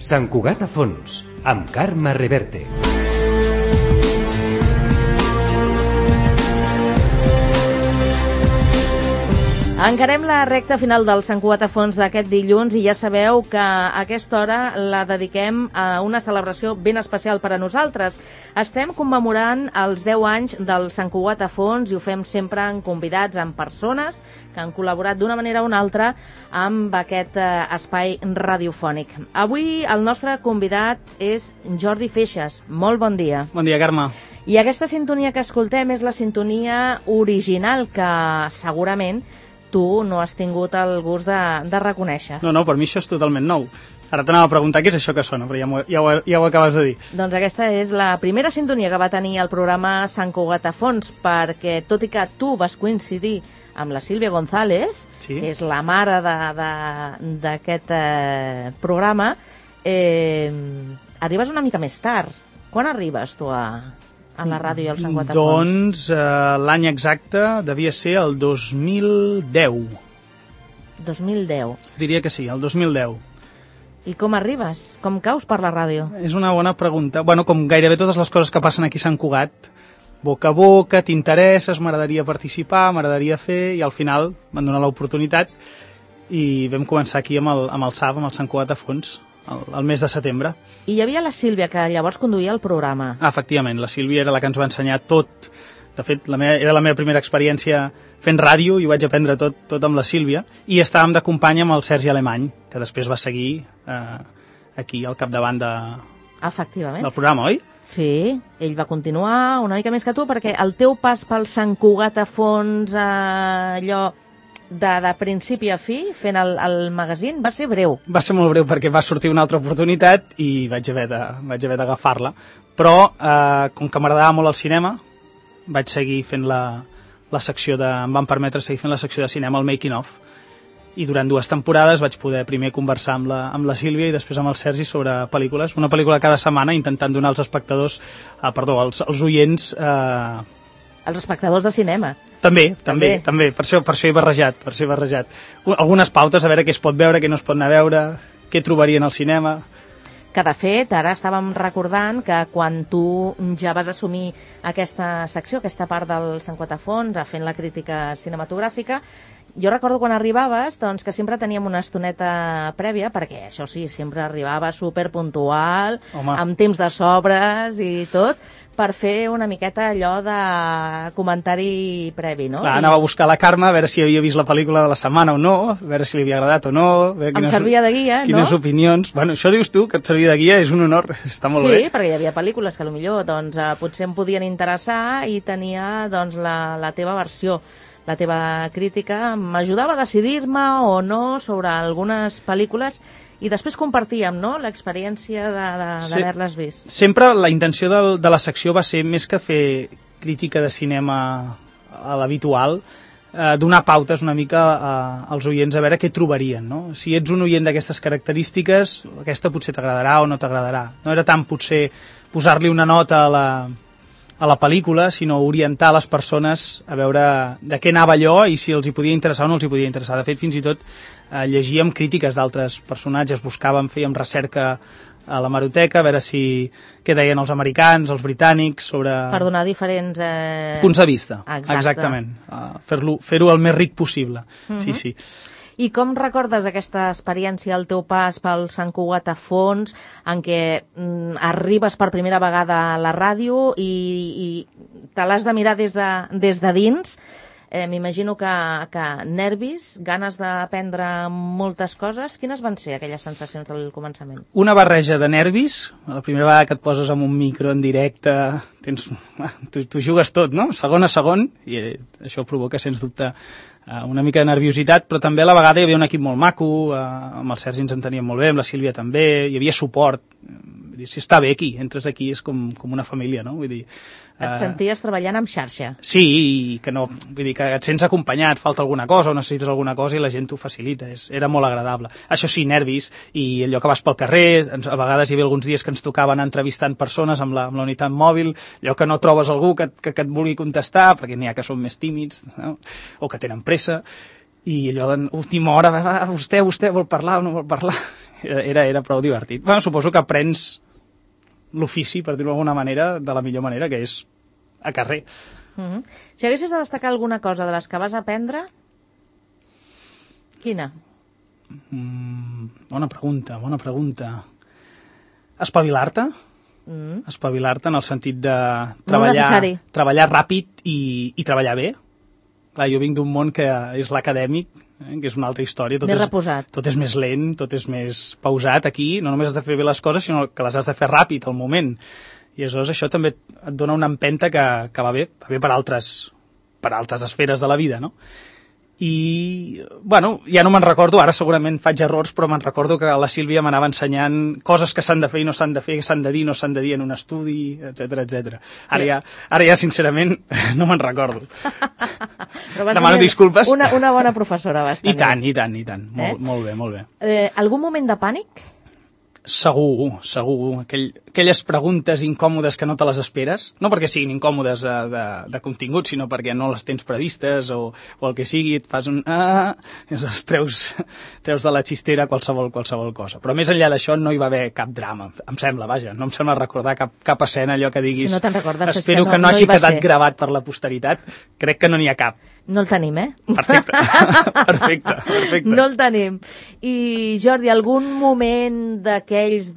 Sant Cugat a fons, amb Carme Reverte. Encarem la recta final del Sant Cugat a fons d'aquest dilluns i ja sabeu que a aquesta hora la dediquem a una celebració ben especial per a nosaltres. Estem commemorant els 10 anys del Sant Cugat a fons i ho fem sempre amb convidats, amb persones que han col·laborat d'una manera o una altra amb aquest espai radiofònic. Avui el nostre convidat és Jordi Feixas. Molt bon dia. Bon dia, Carme. I aquesta sintonia que escoltem és la sintonia original que segurament tu no has tingut el gust de reconèixer. No, per mi això és totalment nou. Ara t'anava a preguntar què és això que sona, però ja ho acabes de dir. Doncs aquesta és la primera sintonia que va tenir el programa Sant Cugat a fons, perquè tot i que tu vas coincidir amb la Sílvia González, sí, que és la mare d'aquest programa, arribes una mica més tard. Quan arribes tu a la ràdio i al Sant Cugat a fons? Doncs l'any exacte devia ser el 2010. 2010. Diria que sí, el 2010. I com arribes? Com caus per la ràdio? És una bona pregunta. Bueno, com gairebé totes les coses que passen aquí a Sant Cugat, boca a boca, t'interesses, m'agradaria participar, m'agradaria fer, i al final van donar l'oportunitat i vam començar aquí amb el SAF, amb el Sant Cugat a fons, el mes de setembre. I hi havia la Sílvia, que llavors conduïa el programa. Efectivament, la Sílvia era la que ens va ensenyar tot. De fet, era la meva primera experiència fent ràdio i ho vaig aprendre tot amb la Sílvia. I estàvem de companya amb el Sergi Alemany, que després va seguir aquí al capdavant del programa, oi? Sí, ell va continuar una mica més que tu, perquè el teu pas pel Sant Cugat a fons, allò de principi a fi, fent el magazín, va ser breu. Va ser molt breu perquè va sortir una altra oportunitat i vaig haver d'agafar-la. Però, com que m'agradava molt el cinema, vaig seguir fent la secció em van permetre seguir fent la secció de cinema, el Making of. I durant 2 temporades vaig poder primer conversar amb la Sílvia i després amb el Sergi sobre pel·lícules. Una pel·lícula cada setmana, intentant donar als espectadors, als oients... Els espectadors de cinema. També. Per això he barrejat. Algunes pautes, a veure què es pot veure, què no es pot anar a veure, què trobarien al cinema. Que, de fet, ara estàvem recordant que quan tu ja vas assumir aquesta secció, aquesta part del Sant Cugat a fons, fent la crítica cinematogràfica, jo recordo quan arribaves doncs, que sempre teníem una estoneta prèvia, perquè això sí, sempre arribava superpuntual, amb temps de sobres i tot, per fer una miqueta allò de comentari previ, no? Clar, anava a buscar la Carme, a veure si havia vist la pel·lícula de la setmana o no, a veure si li havia agradat o no... Em servia de guia, no? Quines opinions... Bueno, això dius tu, que et servia de guia, és un honor, està molt bé. Sí, perquè hi havia pel·lícules que potser doncs, potser em podien interessar i tenia doncs, la teva versió. La teva crítica m'ajudava a decidir-me o no sobre algunes pel·lícules i després compartíem, no?, l'experiència d'haver-les vist. Sempre la intenció de la secció va ser, més que fer crítica de cinema a l'habitual, donar pautes una mica als oients a veure què trobarien, no? Si ets un oient d'aquestes característiques, aquesta potser t'agradarà o no t'agradarà. No era tant potser posar-li una nota a la pel·lícula, sinó orientar les persones a veure de què anava allò i si els hi podia interessar o no els hi podia interessar. De fet, fins i tot llegíem crítiques d'altres personatges, fèiem recerca a l'hemeroteca, a veure què deien els americans, els britànics, sobre... Per donar diferents... punts de vista. Exactament. Fer-ho el més ric possible. Sí. I com recordes aquesta experiència, el teu pas pel Sant Cugat a fons, en què arribes per primera vegada a la ràdio i te l'has de mirar des de dins? M'imagino que nervis, ganes d'aprendre moltes coses. Quines van ser aquelles sensacions del començament? Una barreja de nervis. La primera vegada que et poses amb un micro en directe, tu jugues tot, no? Segon a segon, i això provoca, sens dubte, una mica de nerviositat, però també a la vegada hi havia un equip molt maco, amb el Sergi ens enteníem molt bé, amb la Sílvia també, hi havia suport. Si està bé aquí, entres aquí, és com una família, no? Vull dir... Et senties treballant amb xarxa. Sí, i que no, vull dir que et sents acompanyat, falta alguna cosa o necessites alguna cosa i la gent t'ho facilita, era molt agradable. Això sí, nervis, i allò que vas pel carrer, a vegades hi havia alguns dies que ens tocaven entrevistant persones amb la unitat mòbil, allò que no trobes algú que et vulgui contestar, perquè n'hi ha que són més tímids, no? O que tenen pressa, i allò d'última hora, vostè vol parlar o no vol parlar? era prou divertit. Bueno, suposo que aprens l'ofici, per dir-ho d'alguna manera, de la millor manera, que és a carrer. Si haguessis de destacar alguna cosa de les que vas aprendre, quina? Bona pregunta. Espavilar-te? Espavilar-te en el sentit de treballar ràpid i treballar bé. Clar, jo vinc d'un món que és l'acadèmic, que és una altra història. Més reposat. Tot és més lent, tot és més pausat. Aquí no només has de fer bé les coses, sinó que les has de fer ràpid, al moment. I aleshores això també et dona una empenta que va bé per altres esferes de la vida, no? I, bueno, ja no me'n recordo, ara segurament faig errors, però me'n recordo que la Sílvia m'anava ensenyant coses que s'han de fer i no s'han de fer, que s'han de dir i no s'han de dir en un estudi, etc. Ara ja, sincerament, no me'n recordo. Demano disculpes. Una bona professora vas tenir. I tant. Molt bé. Algun moment de pànic? Segur. Aquelles preguntes incòmodes que no te les esperes, no perquè siguin incòmodes de contingut, sinó perquè no les tens previstes o el que sigui, et fas un i treus de la xistera qualsevol cosa. Però més enllà d'això no hi va haver cap drama, em sembla, no em sembla recordar cap escena, allò que diguis, si no te'n recordes, espero que no hagi quedat gravat per la posteritat, crec que no n'hi ha cap. No el tenim, Perfecte. No el tenim. I, Jordi, algun moment d'aquells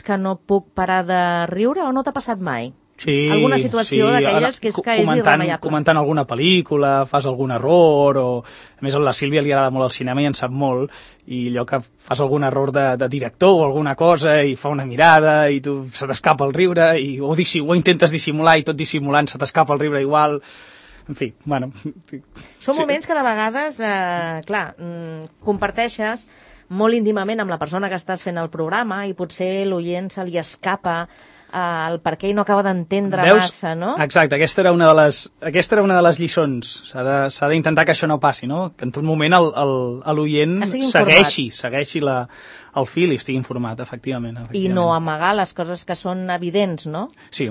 que no puc parar de riure o no t'ha passat mai? Sí, alguna situació d'aquelles que és irremeiable. Comentant alguna pel·lícula, fas algun error, o a més a la Sílvia li agrada molt el cinema i en sap molt, i allò que fas algun error de director o alguna cosa i fa una mirada i tu se t'escapa el riure o intentes dissimular i tot dissimulant se t'escapa el riure igual. En fi, bueno... Són moments que de vegades, comparteixes molt íntimament amb la persona que estàs fent el programa i potser l'oient se li escapa el per què i no acaba d'entendre massa, no? Exacte, aquesta era una de les lliçons. S'ha d'intentar que això no passi, no? Que en tot moment l'oient segueixi el fil i estigui informat, efectivament. I no amagar les coses que són evidents, no? Sí,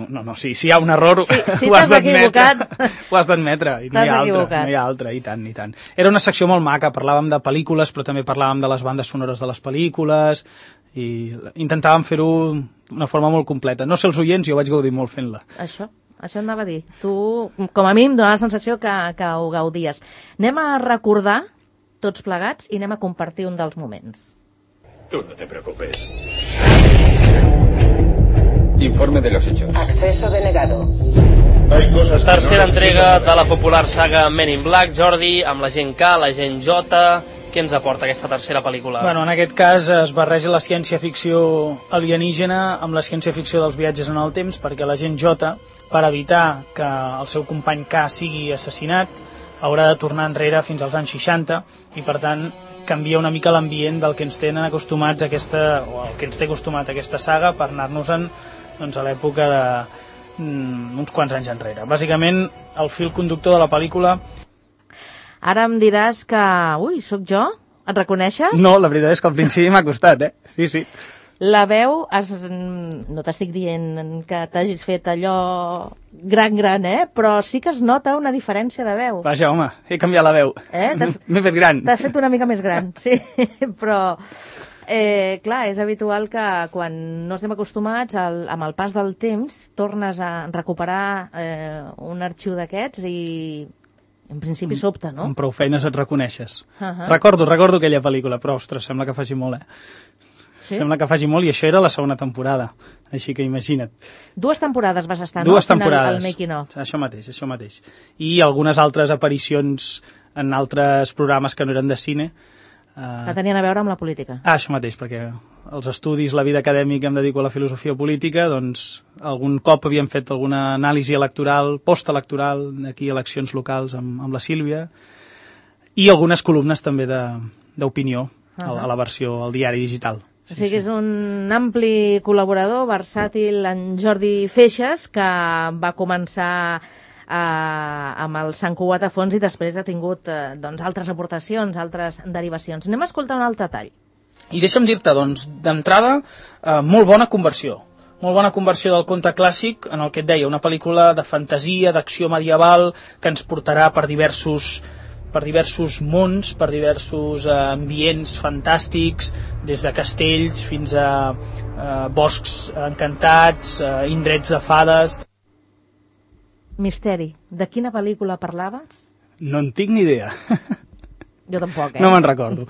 si hi ha un error, ho has d'admetre. No hi ha altre, i tant. Era una secció molt maca, parlàvem de pel·lícules, però també parlàvem de les bandes sonores de les pel·lícules, i intentàvem fer-ho d'una forma molt completa. No sé els oients, jo vaig gaudir molt fent-la. Això anava a dir. Tu, com a mínim, donava la sensació que ho gaudies. Anem a recordar, tots plegats, i anem a compartir un dels moments. Tú no te preocupes. Informe de los hechos. Acceso denegado. Tercera entrega de la popular saga Men in Black, Jordi, amb l'agent K, l'agent J. Què ens aporta aquesta tercera pel·lícula? Bueno, en aquest cas es barreja la ciència-ficció alienígena amb la ciència-ficció dels viatges en el temps, perquè l'agent J, per evitar que el seu company K sigui assassinat, haurà de tornar enrere fins als anys 60 i, per tant, canvia una mica l'ambient del que ens tenen acostumats o el que ens té acostumat a aquesta saga per anar-nos-en a l'època d'uns quants anys enrere. Bàsicament, el fil conductor de la pel·lícula... Ara em diràs que... Ui, sóc jo? Et reconeixes? No, la veritat és que al principi m'ha costat, Sí. La veu, no t'estic dient que t'hagis fet allò gran, però sí que es nota una diferència de veu. Vaja, home, he canviat la veu. M'he fet gran. T'has fet una mica més gran, sí, però... clar, és habitual que quan no estem acostumats, amb el pas del temps, tornes a recuperar un arxiu d'aquests i en principi sobta, no? Amb prou feines et reconeixes. Recordo aquella pel·lícula, però, ostres, sembla que faci molt, Sí? Sembla que faci molt, i això era la segona temporada, així que imagina't. 2 temporades vas estar, no? 2 temporades. Al making of. Això mateix. I algunes altres aparicions en altres programes que no eren de cine. Que tenien a veure amb la política. Això mateix, perquè els estudis, la vida acadèmica, em dedico a la filosofia política, doncs algun cop havíem fet alguna anàlisi electoral, postelectoral, aquí eleccions locals amb la Sílvia, i algunes columnes també d'opinió a la versió, al diari digital. O sigui que és un ampli col·laborador, versàtil, en Jordi Feixas, que va començar amb el Sant Cugat a fons i després ha tingut altres aportacions, altres derivacions. Anem a escoltar un altre tall. I deixa'm dir-te, d'entrada, molt bona conversió. Molt bona conversió del conte clàssic en el que et deia, una pel·lícula de fantasia, d'acció medieval, que ens portarà per diversos per diversos mons, per diversos ambients fantàstics, des de castells fins a boscs encantats, indrets de fades. Misteri, de quina pel·lícula parlaves? No en tinc ni idea. Jo tampoc, No me'n recordo.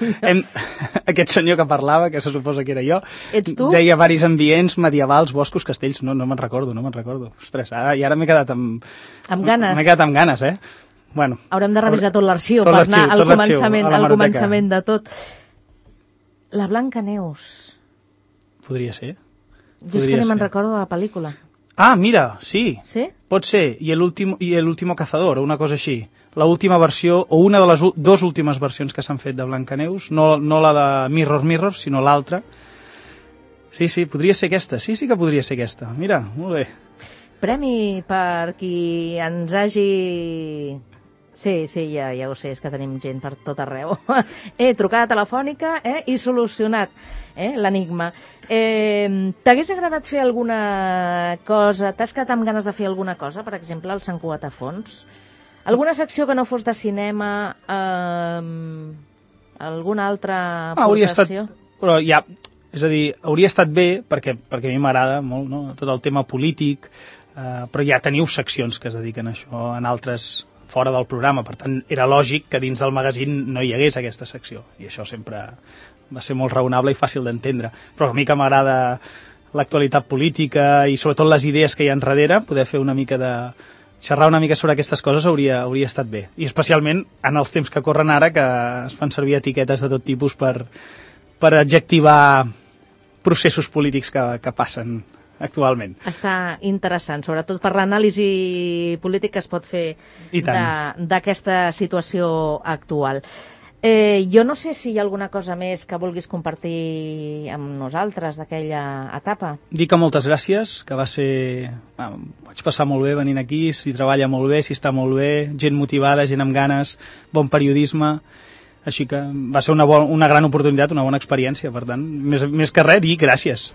Aquest senyor que parlava, que se suposa que era jo, Ets tu? deia varis ambients medievals, boscos, castells. No me'n recordo. Ostres, ara m'he quedat amb ganes. M'he quedat amb ganes, eh? Bueno, Haurem de revisar tot l'arxiu per anar al començament de tot. La Blancaneus. Podria ser. Jo és que ni me'n recordo de la pel·lícula. Ah, mira, sí. Sí? Pot ser. I el último cazador, o una cosa així. La última versió, o una de les dues últimes versions que s'han fet de Blancaneus, no la de Mirror, sinó l'altra. Sí, podria ser aquesta. Sí que podria ser aquesta. Mira, molt bé. Premi per qui ens hagi... Sí, ja ho sé, és que tenim gent per tot arreu. Trucada telefònica i solucionat l'enigma. T'hagués agradat fer alguna cosa? T'has quedat amb ganes de fer alguna cosa? Per exemple, al Sant Cugat a Fons? Alguna secció que no fos de cinema? Alguna altra aportació? Però ja, és a dir, hauria estat bé, perquè a mi m'agrada molt, no? Tot el tema polític, però ja teniu seccions que es dediquen a això en altres fora del programa, per tant era lògic que dins del magazín no hi hagués aquesta secció, i això sempre va ser molt raonable i fàcil d'entendre, però a mi que m'agrada l'actualitat política i sobretot les idees que hi ha enrere, poder fer una mica de... xerrar una mica sobre aquestes coses hauria estat bé, i especialment en els temps que corren ara, que es fan servir etiquetes de tot tipus per adjectivar processos polítics que passen actualment. Està interessant, sobretot per l'anàlisi polític que es pot fer d'aquesta situació actual. Jo no sé si hi ha alguna cosa més que vulguis compartir amb nosaltres d'aquella etapa. Dic que moltes gràcies, que va ser... vaig passar molt bé venint aquí, s'hi treballa molt bé, s'hi està molt bé, gent motivada, gent amb ganes, bon periodisme, així que va ser una gran oportunitat, una bona experiència, per tant, més que res, dir gràcies.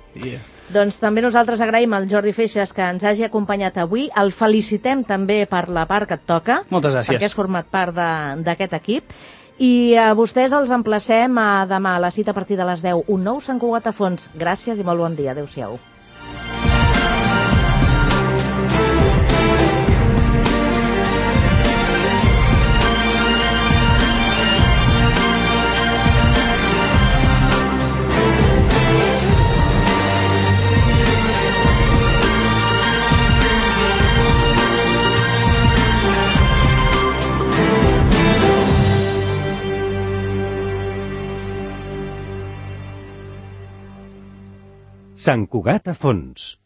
Doncs també nosaltres agraïm al Jordi Feixas que ens hagi acompanyat avui, el felicitem també per la part que et toca, moltes gràcies, perquè has format part d'aquest equip, i a vostès els emplacem a demà a la cita a partir de les 10, un nou Sant Cugat a Fons. Gràcies i molt bon dia, adeu-siau. Sant Cugat a Fons.